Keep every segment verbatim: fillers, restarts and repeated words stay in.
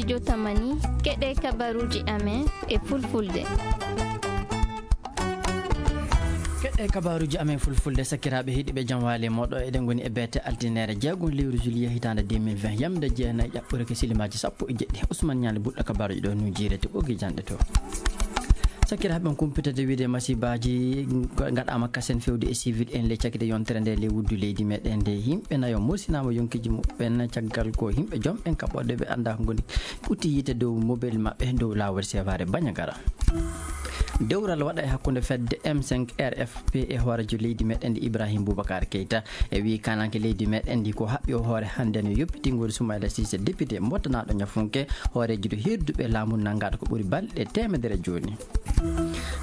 Jotamani, keɗe kabaruuji amen e fulfulde. Keɗe kabaruuji amen fulfulde, sakiraaɓe heɗiiɓe, jam waali e mooɗo. Eɗen ngoni e beete altineere jeegom lewru juillet hitaande deux mille vingt, yamde jeenayi ƴaɓɓore ke silimaaji sappo e jeɗɗi. Ousmane Ñaali Buɗɗo kabaruuji ɗo nujire to ɓogi janɗe to. Sakiraaɓe, on kumpitade wiide masibaaji ngaɗaama kasen fewde e civil en le cakite yontere nde le wuddu leydi meɗen nde. Yimɓe nayo mursinaama yonkiiji muɓɓen caggal ko yimɓe jom en kaɓɓoɗe ɓe annda ko ngoni ɓutti yiite dow mobel maɓɓe dow laawol Sevare Bandiagara. Dewral waɗa e hakkunde fedde M cinq R F P e hoorejo leydi meɗen nde Ibrahim Boubacar Keita e wi kananke leydi meɗen ndi ko haɓɓi o hoore hannde no yoppitingol Soumaïla Cissé député mbottanaɗo ñafunke hoorejo do hirduɓe laamu nangaɗo ko ɓuri balɗe teemedere jooni.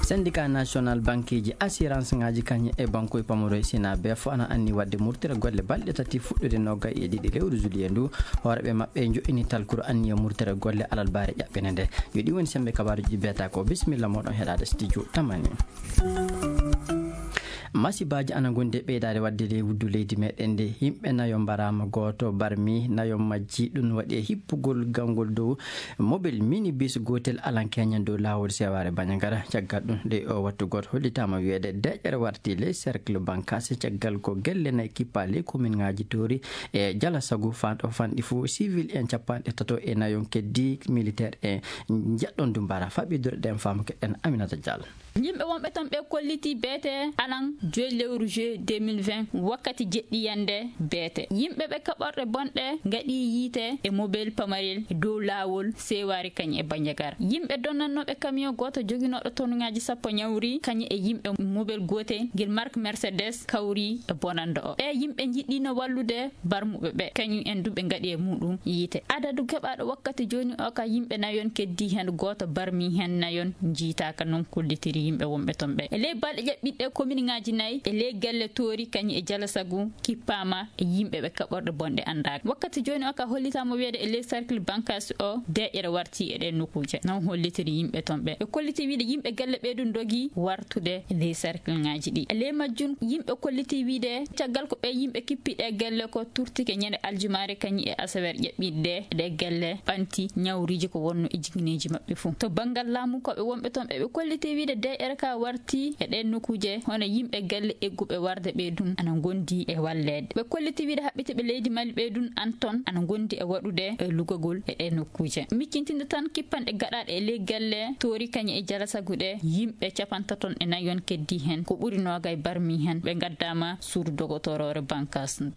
Syndicat national banqueji assurance ngaji kañum e banque pamaro e sina be fof ana anni wadde murtere golle balɗe tati fuɗɗude nogay e ɗiɗi lewru juillet ndu. Hooreɓe maɓɓe joɗɗini talkuru anniya murtere golle alal baare ƴaɓɓene nde. Yo ɗi woni sembe kabaruji beta ko. Bisimilla moɗon heɗade studio tamani. Masibaaji ana ngondi e ɓeydaade waɗde e wuddu leydi meɗen nde. Yimɓe nayo mbaraama, gooto barmi, nayo majji. Ɗum waɗi e hippugol gangol dow mobel minibus gootel alankeñen dow laawol Seware Bandiagara. Caggal ɗum nde o wattu gooto hollitaama wiyeede deƴƴere warti ley cercle Bankasse. Caggal ko gelle nayi kippa ley commune ngaji Toori e Jalasagu fan-, o fanɗi fuu civil en capanɗe tato e nayon keddi militaire en njeɗɗon du mbara. Faɓidore ɗen faamu keɗen Aminata Diallo. Yimɓe wonɓe ton ɓe kolliti beete alan joyi lewru juillet deux mille vingt, wakkati jeɗɗi yande beete. Yimɓe ɓe kaɓorɗe bonɗe ngaɗi yiite e mobel pamarel dow laawol Sewari kañ e Bandiagara. Yimɓe donnannooɓe camion gooto joginooɗo tonngaaji sappo ñawri kañ e yimɓe mobel gootel ngel marque Mercedes kawri e bonannde o. Ɓe yimɓe njiɗɗino wallude barmuɓe ɓe, kañum en du ɓe ngaɗi e muɗum yiite. Adadu keɓaaɗo wakkati jooni o ka yimɓe nayon keddi heen, gooto barmi heen nayon njiitaaka, non kollitiri yimɓe wonɓe toon ɓe. E ley balɗe ƴaɓɓiɗɗe, kominŋaaji nayi e ley gelle Toori kañum e Jalasagu kippaama e yimɓe ɓe kaɓorɗe bonɗe anndaaka. Wakkati jooni o ka hollitaama wiyeede e ley cercle Bankasse o, deeƴere warti e ɗeen nokkuuje. Non hollitiri yimɓe toon ɓe. Ɓe kolliti wiide yimɓe gelle ɓee du ndogi wartude e ley cercleŋaaji ɗi. E ley majjum, yimɓe kolliti wiide caggal ko ɓe yimɓe kippiɗe gelle ko turtike ñande aljumaare kañum e asaweere ƴaɓɓiɗde ɗe gelle ɓanti ñawriiji ko wonno e jigineeji maɓɓe fof. To banngal laamu, ko ɓe wonɓe toon ɓe, ɓe kolliti wiide deeƴere ka warti e ɗeen nokkuuje, hono yimɓe gelle egguɓe warde ɓe dun ana ngondi e walleede. Ɓe kolliti wiide haɓɓitiiɓe leydi Mali ɓe dun an toon ana ngondi e waɗude e lugagol e ɗeen nokkuuje. Miccintinde tan kippanɗe gaɗaaɗe e ley gelle Toori kañum e Jalasagu ɗe, yimɓe capantato e nayon keddi heen, ko ɓuri noogay barmi heen, ɓe ngaddaama suudu dogotoroore Bankasse.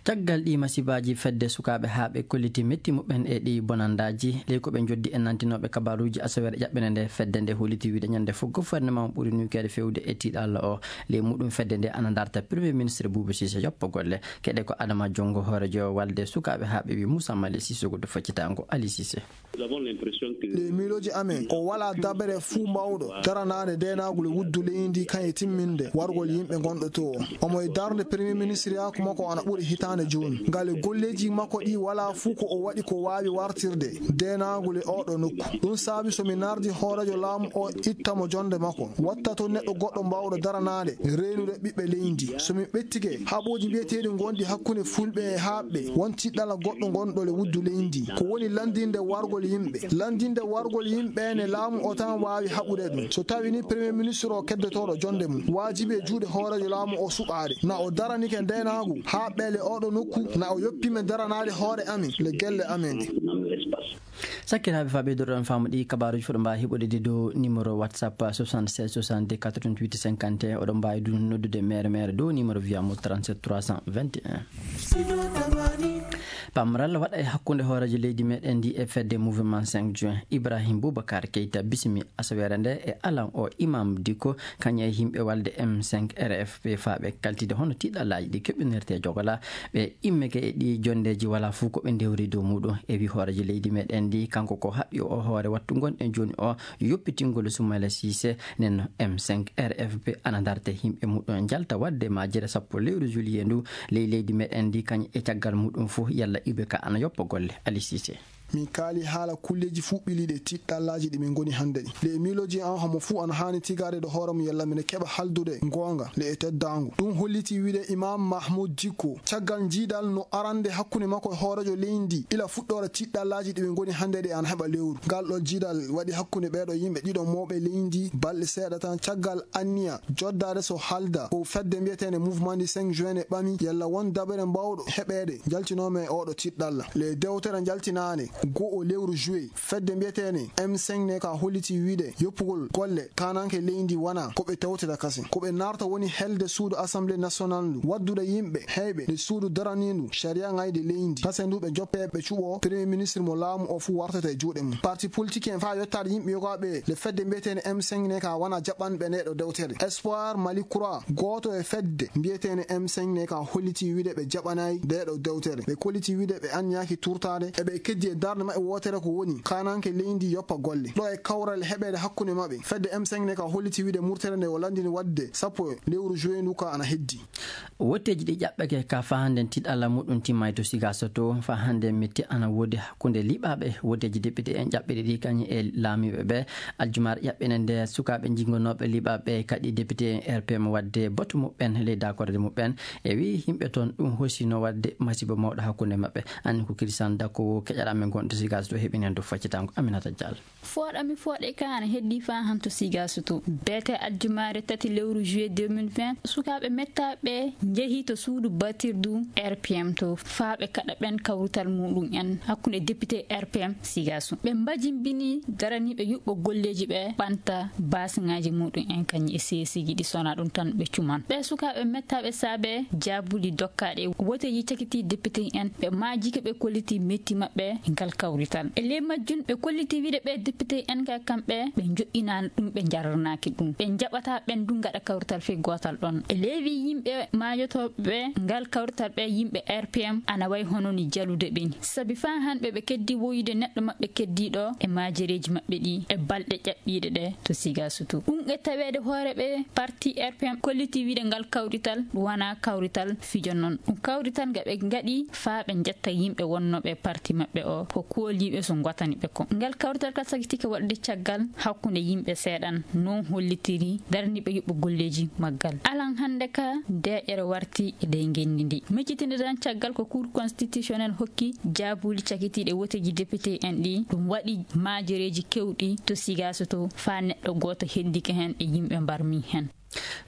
Caggal ɗi masibaaji, fedde sukaaɓe haa ɓe kolliti metti muɓɓen e ɗi bonandaaji. Ley ko ɓe njoddi e nantinooɓe kabaruuji asaweere ƴaɓɓene nde, fedde nde holliti wiide ñande fof gouvernement ɓuri nuykeede fewde e tiiɗalla o. Ley muɗum fedde nde ana darta Premier Ministre Boubou Cissé yoppo golle. Keɗe ko Adama Jonngo, hoorejo walde sukaaɓe haa ɓe wi Moussa Mali Cissé, goɗɗo faccitaango Ali Cissé. Ɗe miilooji amen, o walaa dabere fuu mawɗo daranaande deenaagol e wuddu leydi kañ e timminde wargol yimɓe gonɗo to o. Omo e darnde Premier Ministre yaaku makko ana ɓuri hitaande jooni. Ngale golleeji makko ɗi walaa fuu ko o waɗi ko waawi wartirde deenaagol e oɗo nokku. Ɗum saabi so mi nardi hooreejo laamu o itta mo jonde makko, watta to neɗɗo goɗɗo mbaawɗo daranaade reenude ɓiɓɓe leydi. So mi ɓettike, haɓooji mbiyeteeɗi ngonɗi hakkunde fulɓe e haaɓɓe, won tiɗɗala goɗɗo ngonɗo le wuddu leydi. Ko woni lanndinde wargol yimɓe. Lanndinde wargol yimɓe ne laamu o tan waawi haɓude ɗum. So tawi ni Premier Ministre o keddotooɗo jonde mum, waajibi e juuɗe hooreejo laamu o suɓaade. Na o daranike ndeenaagu, haaɓɓe le oɗo nokku, na o yoppi men daranaade hoore amen, le gelle amen ɗe. Sakkiraaɓe, faa ɓeydoɗon faamu ɗi kabaaruuji, fof ɗo mbaawi heɓude ɗi dow numéro WhatsApp soixante-seize soixante-deux quatre-vingt-huit cinquante et un. Oɗon mbaawi du noddude mere mere dow numéro via mo trente-sept trois cent vingt et un. Pamral waɗa e hakkunde hooreejo leydi meɗen ndi e fedde Mouvement cinq juin. Ibrahim Boubacar Keita bismi asaweere nde e alan o Imam Dicko, kañum e yimɓe walde M cinq R F P faa ɓe kaltide hono tiɗɗallaaji ɗi keɓinirte jogola. Ɓe immike e ɗi jonndeeji, walaa fof ko ɓe ndewri dow muɗum. E wi hooreejo leydi meɗen ndi, kanko ko haɓɓi o hoore wattu ngonɗen jooni o yoppitingol Soumaïla Cissé. Nden no M cinq R F P ana darta yimɓe muɗum njalta waɗde majjere sappo lewru juillet ndu ley leydi meɗen ndi, kañ e caggal muɗum fof yalla ibe ka ana yoppa golle. Ali Cissé. Min kaali haala kulleeji fuu ɓiliiɗi e tiɗɗallaaji ɗi min ngoni hannde ɗi. Nde e miilooji am, homo fuu ana haani tigaade ɗo hoore mum yalla mine keɓa haaldude goonga nde e teddaangu. Ɗum hollitii wiyde Imaam Mahmuud Dikko, caggal jiidal no arande hakkunde makko e hooreejo leydi ndi, ila fuɗɗoore tiɗɗallaaji ɗi ɓe ngoni hannde ɗi ana heɓa lewru. Ngal ɗo jiidal waɗi hakkunde ɓeeɗo yimɓe ɗiɗo mawɓe leydi balɗe seeɗa tan caggal anniya joddaade so haalda ko fedde mbiyeteende Mouvement du cinq juin ne ɓami yalla won dabere mbaawɗo heɓeede njaltinooma e ooɗo tiɗɗalla. Le dewtere njaltinaande goo lewru juillet, fedde mbiyeteende M cinq ne ka hollitii wiyde yoppugol golle kaananke leydi wonaa ko ɓe tawtata kasen. Ko ɓe naarta woni helde suudu Assemblée nationale ndu, waddude yimɓe heyɓe nde suudu daraniindu sariya ngayde leydi. Kasen ndu ɓe joppe ɓe cuɓo Premier ministre mo laamu o fuu wartata e juuɗe mum. Parti politique en faa yottaade yimɓe yogaaɓe le fedde mbiyeteende M cinq ne ka wona jaɓanɓe nde ɗo dewtere. Espoir Mali Croix, gooto e fedde mbiyeteende M cinq ne ka hollitii wiyde ɓe jaɓanaay nde ɗo dewtere. Ɓe kollitii wiyde ɓe anniyaaki turtaade e ɓe keddi e darnde maɓɓe wootere ko woni kaananke leydi yoppa golle. Ɗo e kawral heɓeede hakkunde maɓɓe, fedde M cinq ne ka hollitii wiyde murtere nde o lanndini waɗde sappo e lewru juillet ndu ka ana heddi. Wotteeji ɗi ƴaɓɓake ka faa hannden tiɗɗalla muɗum timmaay to Sigaso to. Faa hannden mette ana woodi hakkunde liɓaaɓe wotteeji député en ƴaɓɓiɗi ɗi kañum e laamiiɓe ɓe. Aljumaare ƴaɓɓene nde sukaaɓe jingonooɓe liɓaaɓe kadi député en R P M waɗde batu muɓɓen ley dakorde muɓɓen. E wii yimɓe toon ɗum hoosino waɗde masibo mawɗo hakkunde maɓɓe. Anni ko Christian Dakko keƴaɗaa men gonɗo Sigaso to heɓinen to faccitango Aminata Diallo. Fooɗa mi fooɗe ka ana heddi faa han to Sigaso to. Beete aljumaare tati lewru juillet deux mille vingt, sukaaɓe mettaaɓe njehii to suudu batirdu R P M to faa ɓe kaɗa ɓen kawrital muɗum en hakkunde député R P M Sigaso. Ɓe mbajimbini daraniiɓe yuɓɓo golleeji ɓe ɓanta baasiŋaaji muɗum en kañum e seesiiji ɗi sona ɗum tan ɓe cuman. Ɓe sukaaɓe mettaaɓe saabe jaabuuli dokkaaɗe woteeji cakiti député en ɓe maajike ɓe kolliti metti maɓɓe ngal kawrital. E ley majjum ɓe kolliti wiide ɓe député en ka kamɓe ɓe joɗɗinaani ɗum ɓe jarranaaki ɗum. Ɓe jaɓata ɓen du ngaɗa kawrital fey gootal ɗon. E ley wi yimɓe maajotooɓe ɓe ngal kawrital ɓe yimɓe R P M ana way hono ni jalude ɓe ni. Sabi faa han ɓe ɓe keddi woyude neɗɗo maɓɓe keddiiɗo e maajereeji maɓɓe ɗi e balɗe ƴaɓɓiiɗe ɗe to Sigaso to. Ɗum e taweede hoore ɓe parti R P M kolliti wiide ngal kawrital wona kawrital fijo non. Ɗum kawrital nga ɓe ngaɗi faa ɓe jetta yimɓe wonnooɓe e parti maɓɓe o ko kooliiɓe so ngotani ɓe ko. Ngal kawrital ka sakitike waɗde caggal hakkunde yimɓe seeɗan non hollitiri daraniiɓe yuɓɓo golleeji maggal. Alan hannde ka deeƴere warti e ley ngenndi ndi. Miccitinde tan caggal ko Cour constitutionnelle hokki jaabuuli cakitiiɗe woteeji député en ɗi. Ɗum waɗi maajereeji kewɗi to Sigaso to faa neɗɗo gooto hendike heen e yimɓe mbarmi heen.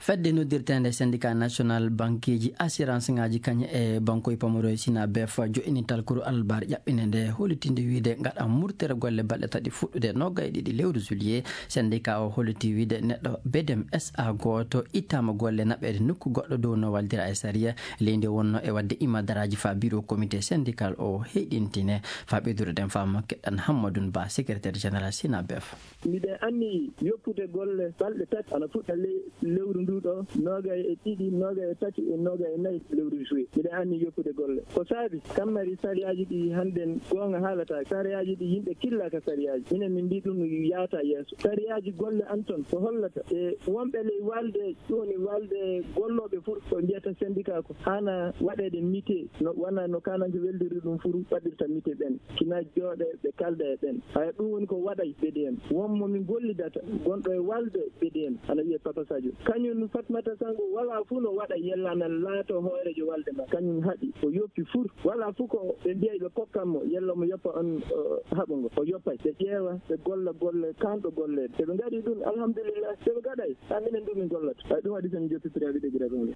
Fedde noddirteende syndicat national bankeeji assurance ngaaji kañum e bankoy pamaro e Sinabef joɗɗini talkuru alarba ƴaɓɓine nde hollitinde wiide ngaɗa murtere golle balɗe tati fuɗɗude noogay e ɗiɗi lewru juillet. Syndicat o holliti wiide neɗɗo B D M S A gooto ittaama golle naɓeede nokku goɗɗo dow no waldira e sariya. Leydi wonno e waɗde imadaraaji faa bureau comité syndical o heyɗintine. Faa ɓeydude ɗen faamu keɗɗan Hammadun Ba, secrétaire général Sinabef. Miɗen anniyi yoppude golle balɗe tati, ana fuɗɗa ley lewru ndu ɗo, noogay e ɗiɗi, noogay e tati e noogay e nayi lewru juillet. Miɗen anniyi yoppude golle. Ko saabi, kammari sariyaaji ɗi hannden goonga haalata. Sariyaaji ɗi yimɓe killa ka sariyaaji. Minen min mbii ɗum yaata yeeso. Sariyaaji golle an ton ko hollata e wonɓe ley walde, ɗum woni walde gollooɓe fuu, ko mbiyata syndicat ko, hana waɗeede mite, no, wona no kananke weldiri ɗum fuu waɗirta mite ɓen. Kina jooɗe ɓe kalda e ɓen. Haya, ɗum woni ko waɗay B D M. Won mo min gollidata, gonɗo e walde B D M, ana wiyee Papa Sadio. Kañum Fatmata Sango, wala fuu no waɗa yella na laato hooreejo walde ma. Kañum haɗi, o yoppi fuu. Wala fuu ko ɓe mbiyay ɓe kokkan mo, yella mo yoppa on, o, haɓa ngo. O yoppay. Ɓe ƴeewa, ɓe golla golle, kanɗo golleede. So ɓe ngaɗii ɗum, alhamdulillah. So ɓe ngaɗay, haa minen du min gollata. Hay ɗum waɗi so min joppi préavis de grève on.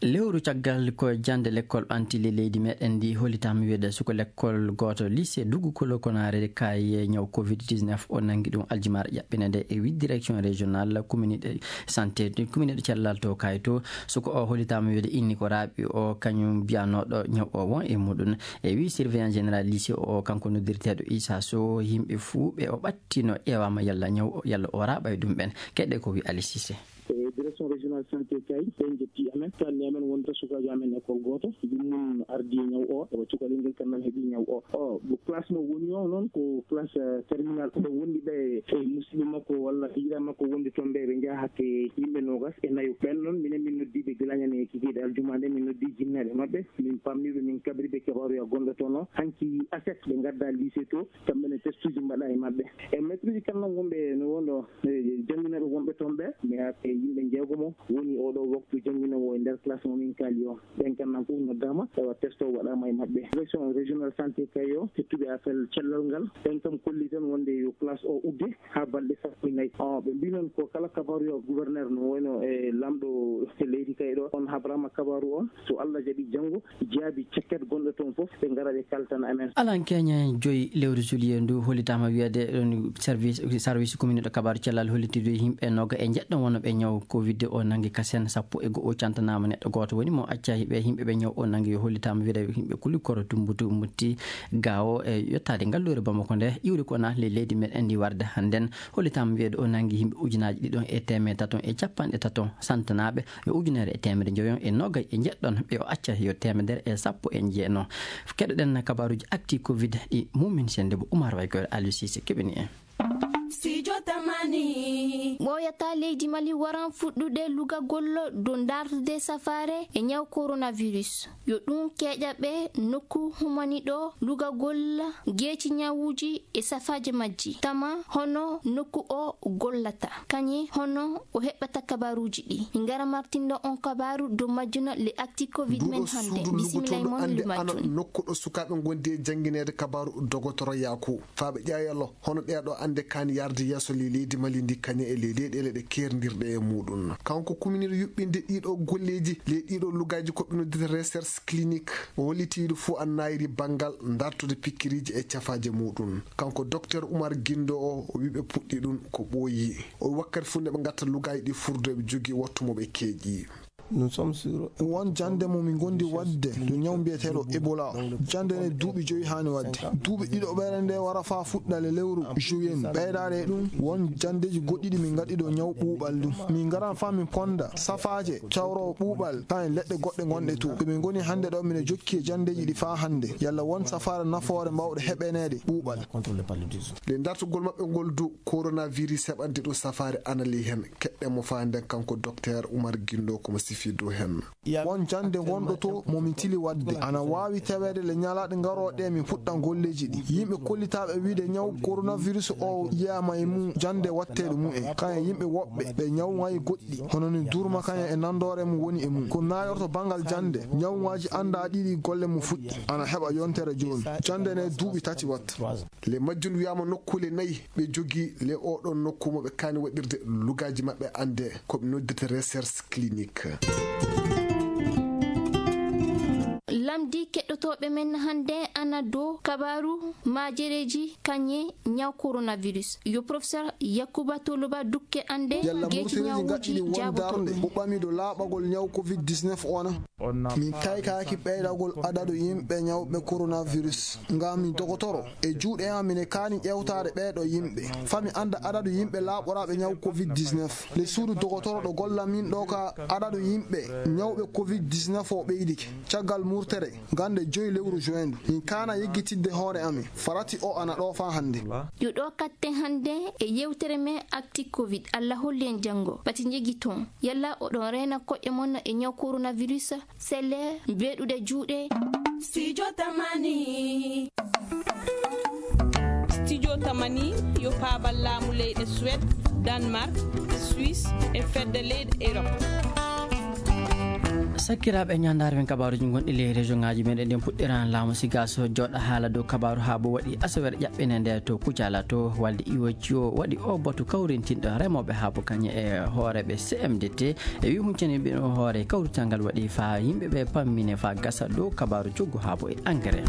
Lewru caggal ko jannde lekkol ɓanti ley leydi meɗen ndi hollitaama wiyeede suko lekkol gooto lycée Dugu Kolo Konare kaye ñaw covid dix-neuf o nanngi ɗum aljumaare ƴaɓɓine nde e wi direction régionale commune de santé, commune de cellal to kaye to. Suko o hollitaama wiyeede inni ko raaɓi o kañum biyanooɗo ñaw o won e muɗum. E wi surveillant général lycée o, kanko noddirteeɗo Issa Sow, yimɓe fuu ɓe o ɓattino ƴeewaama yalla ñaw o, yalla o raaɓay ɗum ɓen. Keɗe ko wi Ali Cissé. E direction régionale santé kay, ɓe njetti amen, kalni amen wonta sukaajo amen école gooto, ɗum mun ardi e ñaw o, o cukalel ngel kam nan heɓi ñaw o. O, ko classe mo woni o noon, ko classe, eh, terminale. Ɓe wondi ɓe e musidɓe makko walla hiira makko wondi toon ɓe, ɓe njaha hakke yimɓe noogas e nayo. Ɓen noon, minen min noddi ɓe gila Ñande kikiiɗe aljuma nde, min noddi jinnaɓe maɓɓe, min pamni ɓe, min kabri ɓe kabaaruya gonɗo toon o. Hanki aset ɓe ngadda lycée to, kamɓe ne testuji mbaɗa e maɓɓe. E maître uji kala wonɓe no wonɗo, e, jannginaɓe wonɓe toon ɓe, mais ake yimɓe jeegomo woni oɗo waktu jannginowo e nder classe mo min kaali o. Ɓen kan nan fof noddaama, tawa test o waɗaama e maɓɓe. Direction régionale santé Kayo, hettuɓe affaire cellal ngal, ɓen kam kolli tan wonde yo classe o udde haa balɗe sappo e nayi. O, ɓe mbii noon ko kala kabaaru yo gouverneur no wayno e laamɗo leydi Kayo ɗo, on habraama kabaaru on. So Allah jaɓi janngo, jaabi cekket gonɗo toon fof, ɓe ngara ɓe kaltana amen. Alan keñe joyi lewru juillet ndu hollitaama wiyeede ɗon service, service commune ɗo kabaaru cellal hollitiri yimɓe noga e jeɗɗo wonno ɓe ñaw covid o nangi kasen sappo e go'o cantanaama neɗɗo gooto woni mo acca ɓe yimɓe ɓe ñaw o nangi yo hollitaama wiyeede yimɓe kuli koro tumbutu mutti gawo e yottaade ngalluure Bamako nde iwri ko naatli leydi men endi warde hannden hollitaama wiyeede o nangi yimɓe ujunaaji ɗiɗon e teemedde taton e capanɗe taton santanaaɓe yo ujunere e teemedde njoyon e nogay e jeɗɗon ɓe o acca yo teemedere e sappo e jeenon. Keɗoɗen kabaaruji acti covid ɗi mumin sende bo Umar Way koyre Aliou Cissé keɓini en. Studio Tamani. Ɓooyata leydi Mali waran fuɗɗude lugagol dow dartude safaare e ñaw coronavirus. Yo ɗum keeƴa ɓe nokku humani ɗo lugagol geeci ñawuuji e safaaji majji. Tama hono nokku o gollata. Kañe hono o heɓɓata kabaaruuji ɗi. Min ngara martindo on kabaaru dow majjuno le acti covid men hannde. Bisimilla e mon ande ana nokku ɗo sukaaɓe ngondi e janngineede kabaaru dogotoro Yaku. Faaɓe ƴaayalo hono ɗeeɗo ande kaani yarde yeeso ley leydi Mali ndi kañe e ley leyɗeele ɗe keerndirɗe e muɗum. Kanko kuminir yuɓɓinde ɗiɗo golleeji ley ɗiɗo lugaaji ko ɓe noddita recherche clinique. O holliti ɗo fof an naayiri banngal dartude pikkiriiji e cafaaje muɗum. Kanko docteur Umar Gindo o, o wi ɓe puɗɗi ɗum ko ɓooyi. O wi wakkati fof nde ɓe ngatta lugaaji ɗi furdo eɓe jogii wattu mo ɓe keeƴi. Won jannde mo min ngondi waɗde yo ñaw mbiyeteeɗo Ebola o. Jannde nde duuɓi joyi haani waɗde. Duuɓi ɗiɗo ɓeere nde wara faa fuɗɗa le lewru juin. Ɓeydaade e ɗum, won janndeeji goɗɗi ɗi min ngaɗi ɗo ñaw ɓuuɓal ndu. Min ngaran faa min ponda safaaje cawroowo ɓuuɓal, haa e leɗɗe goɗɗe ngonɗe to. Ɗo min ngoni hannde ɗo, mine jokki e janndeeji ɗi faa hannde. Yalla won safaare nafoore mbaawɗe heɓaneede ɓuuɓal. Nde dartugol maɓɓe ngol du, coronavirus heɓande ɗum safaare anali heen. Keɗɗen mo faa nden kanko docteur Umar Gindo ko mo sifii dow heen. Won jannde ngonɗo to mo min tili waɗde. Ana waawi taweede le ñalaaɗe ngarooɗe min puɗɗa golleeji ɗi. Yimɓe kollitaaɓe wiide ñaw coronavirus o yiyaama e mum jannde watteeɗo mum en. Kañe yimɓe woɓɓe ɓe ñaw ngayi goɗɗi. Hono ni durma kañe e nandoore mum woni e mum. Ko naayorto banngal jannde. Ñawŋaaji anndaa ɗiɗi golle mum fuɗɗi. Ana heɓa yontere jooni. Jannde ne duuɓi tati watta. Le majjum wiyaama nokkuule nayi ɓe jogii le oɗon nokku mo ɓe kaani waɗirde lugaaji maɓɓe annde ko ɓe noddata recherche clinique. Lamdi keɗɗotooɓe men hannde ana dow kabaaru maajereeji kañe ñaw coronavirus. Yo professeur Yakuba Toloba dukke annde yalla geeci murtireeji ñawuuji ngaɗɗini won jaabotoɗo darnde mo ɓami dow laaɓagol ñaw covid dix-neuf ona. Min taykaaki ɓeydagol adadu yimɓe ñawɓe coronavirus. Ngam mi dogotoro, e juuɗe am mine kaani ƴewtaade ɓeeɗo yimɓe. Fami annda adadu yimɓe laaɓoraaɓe ñaw covid dix-neuf. Le suudu dogotoro ɗo golla min ɗo ka adadu yimɓe ñawɓe covid dix-neuf o ɓeydike. Caggal murtere, gannde joyi lewru juin ndu. Min kaana yeggitidde hoore amin. Farati o ana ɗo faa hannde. Yo ɗo katten hannde e yewtere men acti covid. Allah holli en janngo. Pati njegi toon. Yalla oɗon reena koƴƴe mon e ñaw coronavirus? Selle, mbeɗuɗe juuɗe. Studio Tamani. Studio Tamani yo paabal laamu leyɗe Suède, Danemark, Suisse e fedde leyɗe Europe. Sakkiraaɓe ñandaare men kabaaruji gonɗi ley région ngaji meɗen ɗen puɗɗiran laamu siga so jooɗa haala dow kabaaru haa bo waɗi asaweere ƴaɓɓene nde to Kucala to walde iwoci o waɗi o batu kawrintinɗo remooɓe haa bo kañe e hooreeɓe C M D T. E wi huncani ɓe ɗo hoore kawrital ngal waɗi faa yimɓe ɓe pammine faa gasa dow kabaaru coggu haa bo e engrais.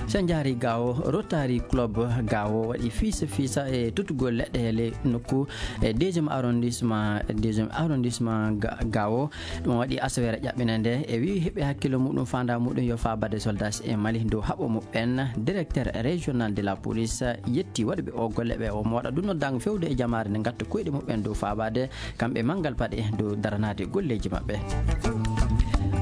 So en njaari Gaawo, Rotary Club Gaawo waɗi fiisa fiisa e tottugol leɗɗe e ley nokku e deuxième arrondissement, deuxième arrondissement Ga-, Gaawo. Ɗum waɗi asaweere ƴaɓɓinande e wi heɓi hakkillo muɗum, faanda muɗum yo faa baɗe soldats e Mali dow haɓo muɓɓen. Directeur régional de la police yetti waɗuɓe o golle ɓe, o moɗa ɗum noddango fewde e jamaare nde ngatta koyɗe muɓɓen dow faabaade kamɓe manngal paɗe dow daranaade golleeji maɓɓe.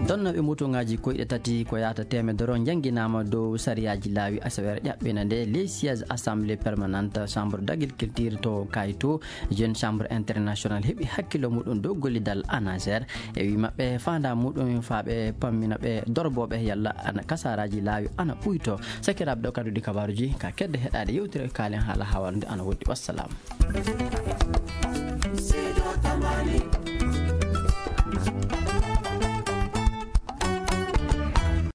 Donnooɓe mutuŋaaji koyɗe tati ko yahata teemedere o njannginaama dow sariyaaji laawi asaweere ƴaɓɓiinde nde ley siège assemblée permanente chambre d'agriculture to Kayto, jeune chambre international heɓi hakkillo muɗum dow gollidal ANASER. E wi maɓɓe faanda muɗum faa ɓe pammina ɓe dorbooɓe yalla ana kasaaraaji laawi ana ɓuyto. Sakiraaɓe, ɗo kadduɗi kabaaruuji ka kedde heɗaade yewtere kaalen haala haawande ana woɗɗi. Wassalam.